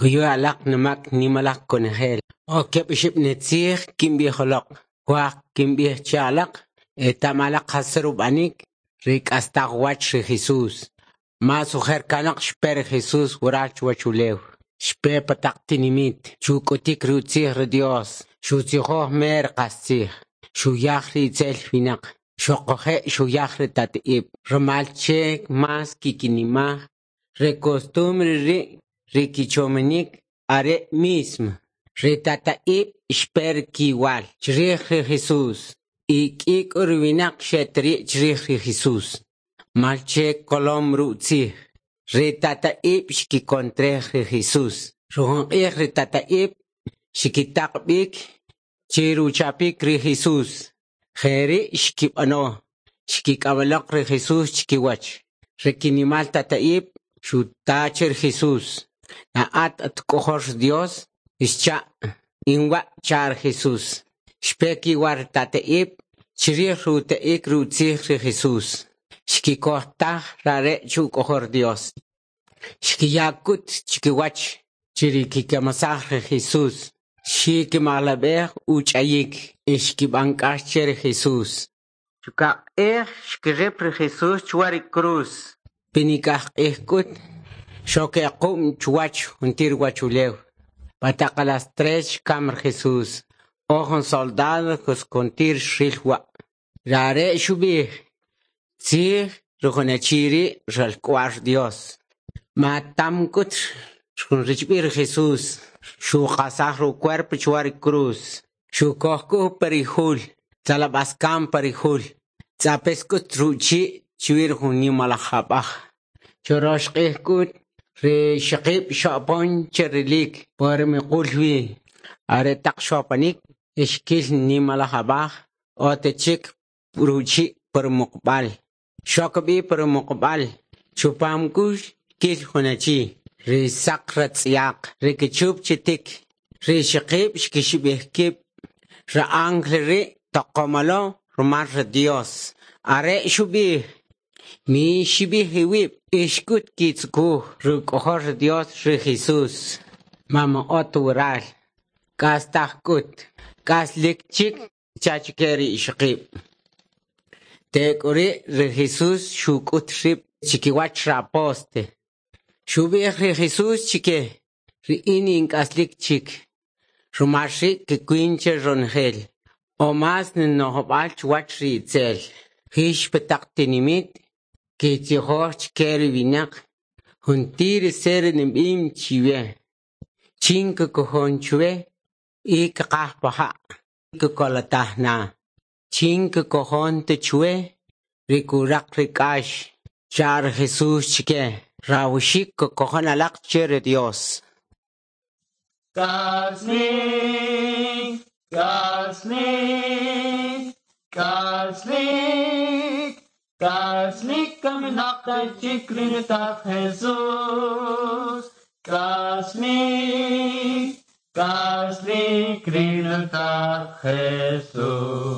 Kuyu alaq numak nimalaj konojel. O keb' oxib' nitzij kinb'ij uloq. Kwaj kinb'ij che alaq, eta'm alaq jas rub'anik ri k'astaj uwach ri Jesús. Más ojer kanoq xpe ri Jesús waral chuwachulew. Xpe pa taq tinimit chuk'utik ri utzij ri Dios, xutzijoj mer qastzij, xuyaj ri itzel winaq, xuquje' xuyaj ri tata'ib', rumal che más kikinimaj ri costumbre ri' ri kichomanik are mismo. Ri tata'ib' xpe kiwal chrij ri Jesús y k'i k'u ri winaq xeteri' chrij ri Jesús. Mal che kolom rutzij. Ri tata'ib' xkikontrej ri Jesús. Rujun q'ij ri tata'ib' xkitaq b'ik chiruchapik ri Jesús. Jeri' xkib'ano. Xkik'amaloq ri Jesús chikiwach. Ri kinimal tata'ib' xuta che ri Jesús. Na'at at k'ojol Dios, xcha' inwa' cha ri Jesús. Xpe kiwar tata'ib' chrij ruta'ik rutzij ri Jesús. Xkikojtaj rare' chuk'ojol Dios. Xkiyakut chikiwach chiri kikamasaj ri Jesús. Xikimalab'ej uch'ayik y xkib'an k'ax che ri Jesús. Chukab' q'ij xkirip ri Jesús chuwa ri cruz. Pinik'aj q'ij k'ut xokequm chuwach juntir wachulew. Pataq a las 3 xkam ri Jesús. O jun soldado kuskuntir xril wa'. Rare' xub'ij, tzij rujunachi ri' ralk'wa'l Dios. Matam k'ut richb'il ri Jesús. Xuqasaj ru cuerpo chuwa ri cruz. Xukoj pa ri jul. Tzalab'askam pa ri jul. Tz'apes k'ut ruchi' chwir jun nimalaj ab'aj. Chorox q'ij k'ut ri ixoqib' xo'pon che rilik por miqul wi. Are taq xo'panik xkil nimalaj ab'aj otechik ruchi' por muqb'al. Xok b'i por muqb'al. Chupam k'u xkil jun achi. Ri saq ratz'yaq, ri kichup chitik, ri ixoqib' xkixib'ij kib'. Ri ángel ri' toqomalo rumal ri Dios. Are xub'ij, mi xib'ij iwib' ixk'ut kitzukuj ruk'ojol ri Dios ri Jesús. Mama ot waral. K'astaj k'ut, k'aslik chik chachike ri ixoqib'. Tek'uri' ri Jesús xuk'ut rib' chikiwach ri apóstol. Xub'ij ri Jesús chike, ri in ink'aslik chik. Rumal ri' kikwin che ronojel. O mas ninojob'al chuwach ri itzel. Jix pa taq tinimit, kitzijoj chike ri winaq. Juntir ser nib'im chiwe. Chin kikojon chwe y kaqaj pa ja'. Kikolotaj na. Chin kikojon te chwe ri kuraq ri k'ax. Char Jesús chike. Rawxik kikojon alaq che ri Dios. K'aslik, k'aslik, k'aslik, k'aslik kaminaq chik ri nutat Jesús. K'aslik, k'aslik ri nutat Jesús.